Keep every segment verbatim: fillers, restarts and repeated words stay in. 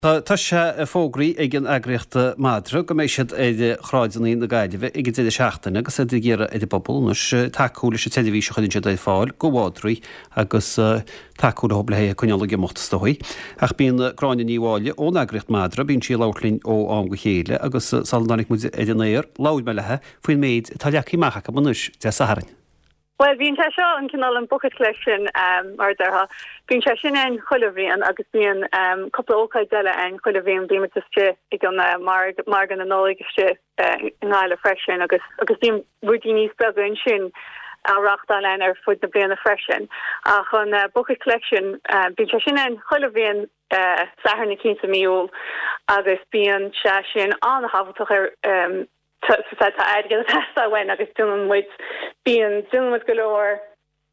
Tá sé fógraithe ag an eagraíocht Madra go mbeidh siad ar shráideanna na Gaillimhe ag an deireadh seachtaine agus iad ag iarraidh ar an bpobal anois tacú leis an tseirbhís a chuireann siad ar fáil do mhadraí agus tacú leo le é a choinneáil ag imeacht is dóigh. Ach bíonn Gráinne Ní Mháille ón eagraíocht Madra, bíonn sí ag labhairt linn ó am go chéile agus sula dtáinig muid ar an aer, labhair mé léi faoin méid atá leagtha amach acu anois Dé Sathairn. Well bíonn sé seo an cineál an bucket collection um, mar déarfá. Bíonn sé sin ann chuile bhliain agus bíonn um, cúpla ócáid eile ann chuile bhliain bíonn istigh ag an uh, margadh na Nollag istigh uh, i nGaillimh freisin agus agus bíonn rudaí níos beaga ansin á reáchtáil ann ar fud na bliana freisin. Ach an uh, bucket collection uh, bíonn sé sin ann chuile bhliain uh, Satharn cinn sa mí Iúil agus bíonn sé sin an-thábhachtach ar um, tá airgead uainn agus déanann muid bíonn déanann muid go leor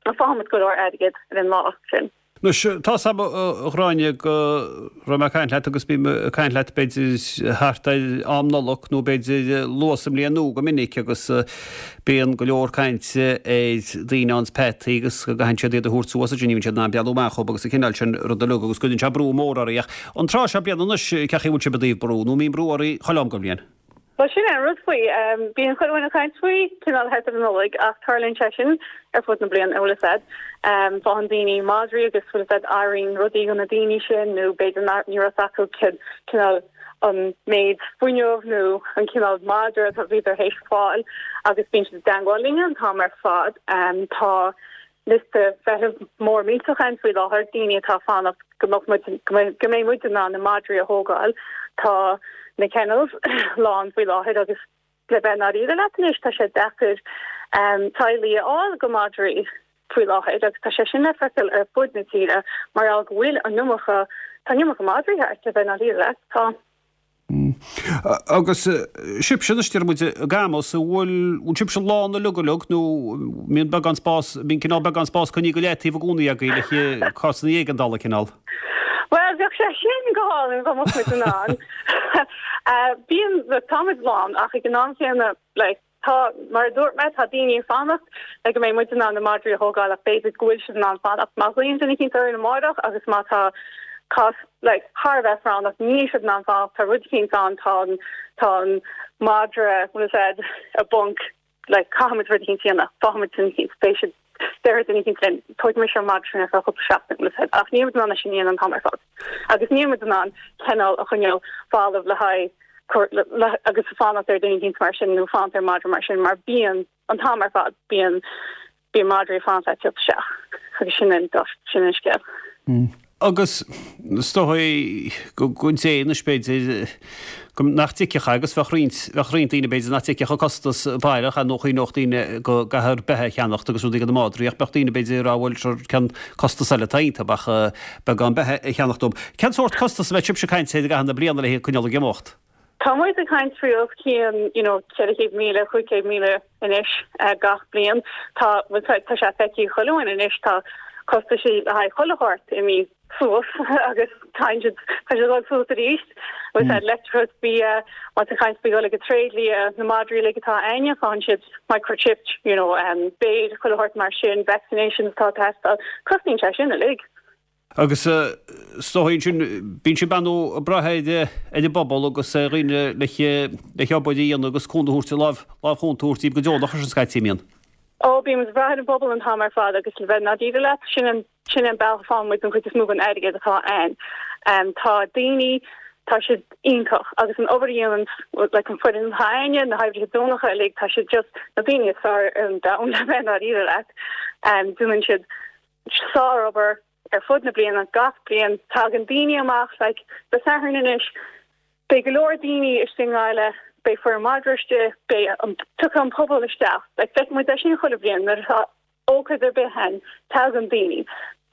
faigheann go leor airgead ar an lá sin. Anois tá a Ghráinne go raibh mé caint leat agus bím ag caint leat b'fhéidir thart ar am Nollag nó b'fhéidir luath sa mbliain nua go minic agus bíonn go leor cainte ar daoine ann peataí agus go gcaitheann siad iad a thabhairt suas ní siad ná bealú amach agus a cineál sin rud uilig agus cuireann sé brú mór oraibh ach an tráth seo bliana anois cén chaoi bhfuil sibh i dtaobh brú nó mbíonn brú oraibh chuile am den bhliain. Well sin an rud faoi um, bíonn chuile dhuine ag caint faoi cineál thart ar an Nollaig ach tarlaíonn sé sin ar fud na bliana bhfuil a fhios agat. Um, faigheann daoine madraí agus bhfuil a fhios agat éiríonn rudaí go na daoine sin nó b'fhéidir ní raibh acu cineál an méid fuinneamh nó an cineál madra a bhí théis fáil agus bíonn siad i dteagmháil linn an t-am ar fad. Um, tá liosta feithimh mór millteach ann faoi láthair daoine atá fanacht go go mbeidh muid in ann na madraí a thógáil tá na kennels lán faoi láthair agus le bheith dáiríre leat anois tá sé deacair um, teaghlaigh a fháil do mhadraí faoi láthair agus tá sé sin le feiceáil ar fud na tíre mar go bhfuil an iomarca tá an iomarca madraí le bheith dáiríre leat tá. Mm. Agus sibhse anois deir muid GAMAS bhfuil bhfuil sibhse lán uilig uilig nó mbíonn beagán spás bíonn cineál beagán spás coinnithe go leataobh i gcónaí agaibh le cásanna éigeandála cineál. Well bheadh sé sin go hálainn go mbeadh muid ann. Bíonn táimid lán ach ag an am céanna like, tá mar dúirt mé tá daoine ag fanacht le go mbeidh muid in ann na madraí a thógáil ach b'fhéidir go bhfuil siad in ann fanacht má ghlaonn duine eicínt orainn amárach agus má tá cás like, thar bheith práinneach níl siad in ann fanacht tá rud eicínt ann tá tá an madra bhfuil a fhios agat i bponc like, caithfimid rud eicínt a dhéanamh fágfaimid duine eicínt beidh siad deir duine eicínt linn tógaimis an madra sin ar feadh cúpla seachtain bhfuil a fhios agat ach níl muid in ann sin a dhéanamh an t-am ar fad agus níl muid in ann kennel a choinneáil balbh le haghaidh agus fanacht ar duine eicínt mar sin nó fanacht ar madra mar sin mar bíonn an t-am ar fad bíonn bíonn madraí fanacht le teacht isteach agus sin an sin an scéal. Mm. Agus is dóigh go dté anois b'fhéidir nach dtuigfeadh agus bheadh roinnt bheadh roinnt daoine b'fhéidir nach dtuigfeadh an costas baileach nó chuimhneodh daoine go gcaithfear beatha a cheannacht agus rudaí do na madraí ach bheadh daoine b'fhéidir a rá bhuel sure cén costas eile atá iontu ach beagán beatha a cheannacht dóibh. Cén sórt costas a bheadh sibhse ag caint air i gcaitheamh na bliana le haghaidh coinneáil ag imeacht? Tá muid ag caint faoi os cionn you know, ceithre chéad míle cúig chéad míle anois uh, gach bliain. Tá tá sé feicthe chuile dhuine anois tá costaisí le haghaidh chuile shórt imithe suas agus tá siad tá siad ag suas arís. Agus mm. leictreachas bia má tá caint faoi go tréidlia na madraí le atá againne faigheann siad microchipped you know um, b'fhéidir chuile shórt mar sin vaccinations tá teastáil cosnaíonn sé sin uilig. Agus is dóigh sin bíonn sibh ag brath ar ar an bpobal agus dhaoine le le hobair a dhéanamh agus cúnamh a thabhairt lámh lámh chúnta a thabhairt go deonach ar sin scaití mbíonn. Ó bíonn ag brath ar an bpobal an t-am ar fad agus le bheith dáiríre leat sin an sin an bealach a fhaigheann muid an chuid is mó den airgead atá ann. Um, tá daoine tá siad iontach agus an obair a dhéanann like an foireann atá againne na hoibrithe deonacha uilig tá siad just na daoine is fearr ar an domhan le bheith dáiríre leat. Um, déanann siad sárobair ar fud na bliana gach bliain tagann daoine amach like Dé Sathairn anois beidh go leor daoine istigh i nGaillimh beidh foireann madra istigh beidh an tiocfaidh an pobal isteach like feiceann muid é sin chuile bhliain nuair atá ócáid ar bith ann tagann daoine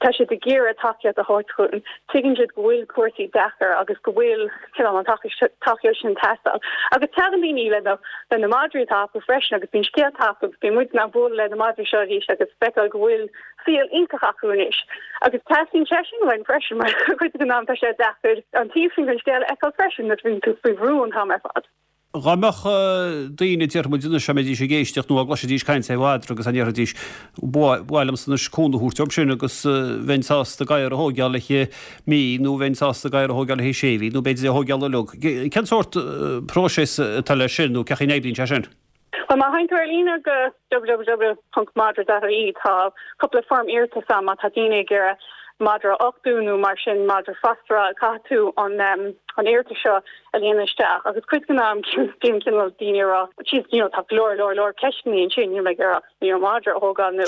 tá siad ag iarraidh tacaíocht a thabhairt dúinn tuigeann siad go bhfuil cúrsaí deacair agus go bhfuil cineál an tacaíocht sin ag teastáil agus tagann daoine le na le na madraí atá acu freisin agus bíonn scéalta acu agus bíonn muid in ann bualadh le na madraí seo arís agus feiceáil go bhfuil saol iontach acu anois agus teastaíonn sé sin uainn freisin mar cuid den am tá sé deacair an taobh sin den scéal a fheiceáil freisin nuair a bhíonn tú faoi bhrú an t-am ar fad. Dhá mbeadh daoine, déarfaidh muid anois, dá mbeidís ag éisteacht nó dá gcloisfidís caint ar mhadra agus dá ndéarfaidís, ba mhaith liomsa anois cúnamh a thabhairt dóibh sin agus bheinn sásta gadhar a thóigeáil le haghaidh mí nó bheinn sásta gadhar a thóigeáil le haghaidh sé mhí nó b'fhéidir é a thóigeáil uilig. Cén sórt próiseas atá leis sin nó cén chaoi a n-oibríonn sé sin? Bhuel, má théann tú ar líne go www ponc madra dot ie tá cúpla foirm iarratais ann má tá daoine ag iarraidh madra a uchtú nó mar sin madra fosteráil, caithfidh tú an an iarratas seo a líonadh isteach agus cuid den am bíonn cineál daoine ag rá jeez you know tá go leor leor leor ceisteanna ansin níl mé ag iarraidh you know madra a thógáil nó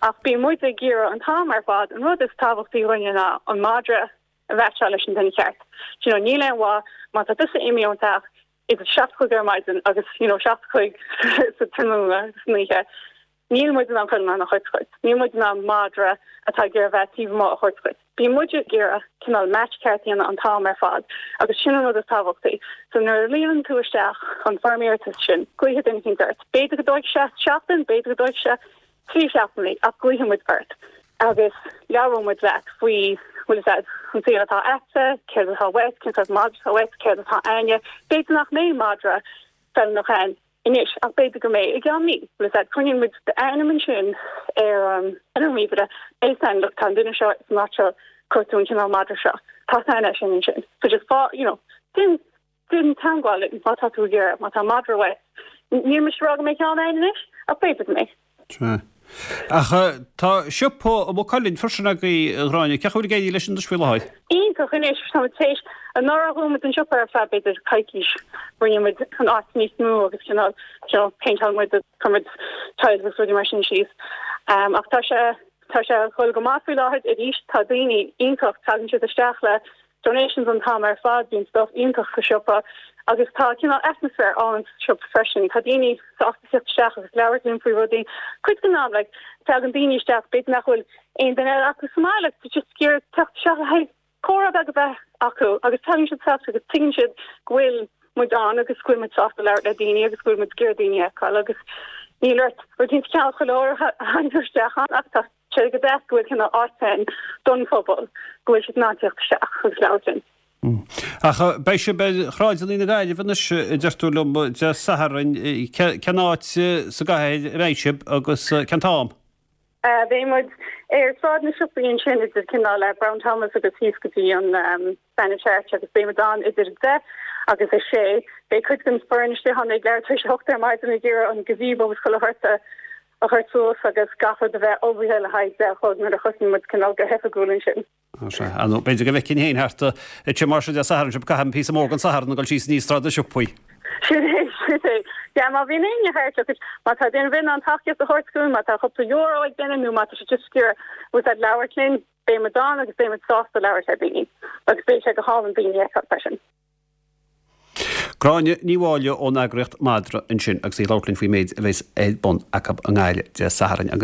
ach bíonn muid ag iarraidh an t-am ar fad an rud is tábhachtaí dhúinne ná an madra a mheaitseáil leis an duine ceart. You know níl aon mhaith má tá tusa imithe ón teach idir seacht a chlog ar maidin agus you know seacht a chlog sa tráthnóna san oíche. Níl muid in ann chuile dhuine a thabhairt dhuit. Níl muid in ann madra atá ag iarraidh bheith taobh amuigh a thabhairt dhuit. Bíonn muid ag iarraidh cineál match ceart a dhéanamh an t-am ar fad agus sin an rud is tábhachtaí. So nuair a líonann tú isteach an foirm iarratais sin, glaofaidh duine eicínt ort. B'fhéidir go dtógfaidh sé seachtain, b'fhéidir go dtógfaidh sé trí seachtainí ach glaofaidh muid ort agus labhróidh muid leat faoi bhfuil a fhios agat, an saol atá a'dsa, céard atá uait, cén sórt madra atá uait, céard atá a'ainne. B'fhéidir nach mbeidh madra feiliúnach ann anois ach b'fhéidir go mbeidh i gceann mí. Bhfuil a fhios agat, coinníonn muid d'ainm ansin ar an ar an ríomhaire, beidh a fhios a'inn, look, tá an duine seo san áit seo, cuartú an cineál madra seo. Tá a fhios a'inn é sin ansin. So just fá, you know, déan, déan teagmháil linn má tá tú ag iarraidh, má tá madra uait. Níl mise ag rá go mbeidh ceann a'inn anois ach b'fhéidir go mbeidh. Sea. Ach tá siopa i Maigh Cuilinn freisin agaibh, a Ghráinne. Cén chaoi a bhfuil ag éirí leis anois faoi láthair? Iontach anois. Tá muid tar éis, anuraidh dhún muid an siopa ar feadh b'fhéidir coicís. Rinne muid an áit níos mó agus cineál, you know, péinteáil muid agus chuir muid tiles agus rudaí mar sin síos. Ach tá sé, tá sé ag dul go maith faoi láthair arís. Tá daoine iontach, tagann siad isteach le donations an t-am ar fad, bíonn stuff iontach sa siopa agus tá cineál atmaisféar álainn sa siopa freisin. Tá daoine sásta teacht isteach agus labhairt linn faoi rudaí. Cuid den am, like, tagann daoine isteach, b'fhéidir nach bhfuil aon duine eile acu sa mbaile, tá just ag iarraidh teacht isteach le haghaidh comhrá beag a bheith acu agus tagann siad isteach agus tuigeann siad go bhfuil muid ann agus go bhfuil muid sásta labhairt le daoine agus go bhfuil muid ag iarraidh daoine a fheiceáil agus níl ort rud éicint a cheannach chuile uair a thagann tú isteach ann ach tá sé go deas go bhfuil cineál áit ann don phobal, go bhfuil siad in ann teacht isteach agus labhairt linn. Ach beidh sibh ar shráideanna na Gaillimhe anois, a deir tú liom, Dé Sathairn. Cén áit sa gcathair a mbeidh sibh agus cén t-am? Beidh muid ar Sráid na Siopaí ansin idir cineál Brown Thomas agus thíos go dtí an Spanish Arch agus beidh muid ann idir a deich agus a sé. Beidh cuid den foireann istigh ann ag leathuair tar éis a hocht ar maidin ag iarraidh an gazebo agus chuile shórt a a chur suas agus gach rud a bheith ullmhaithe le haghaidh deich a chlog nuair a thosnaíonn muid cineál go hoifigiúil ansin. Sea, nó b'fhéidir go bhfeicfinn féin thart ansin mar sin Dé Sathairn sibh, caithim píosa mór den Satharn ag dul síos aníos Sráid na Siopaí. Sin é, sin é. Yeah, má bhíonn éinne thart, look, má tá duine ar bith in ann tacaíocht a thabhairt dúinn, má tá cúpla euro ag duine nó má tá sé just ag iarraidh bhfuil a fhios agat labhairt linn, beidh muid ann agus beidh muid sásta labhairt le daoine agus beidh sé go hálainn daoine a fheiceáil freisin. Gráinne Ní Mháille ón eagraíocht Madra ansin agus í ag labhairt linn faoin méid a bheas ar bun acu i nGaillimh Dé Sathairn.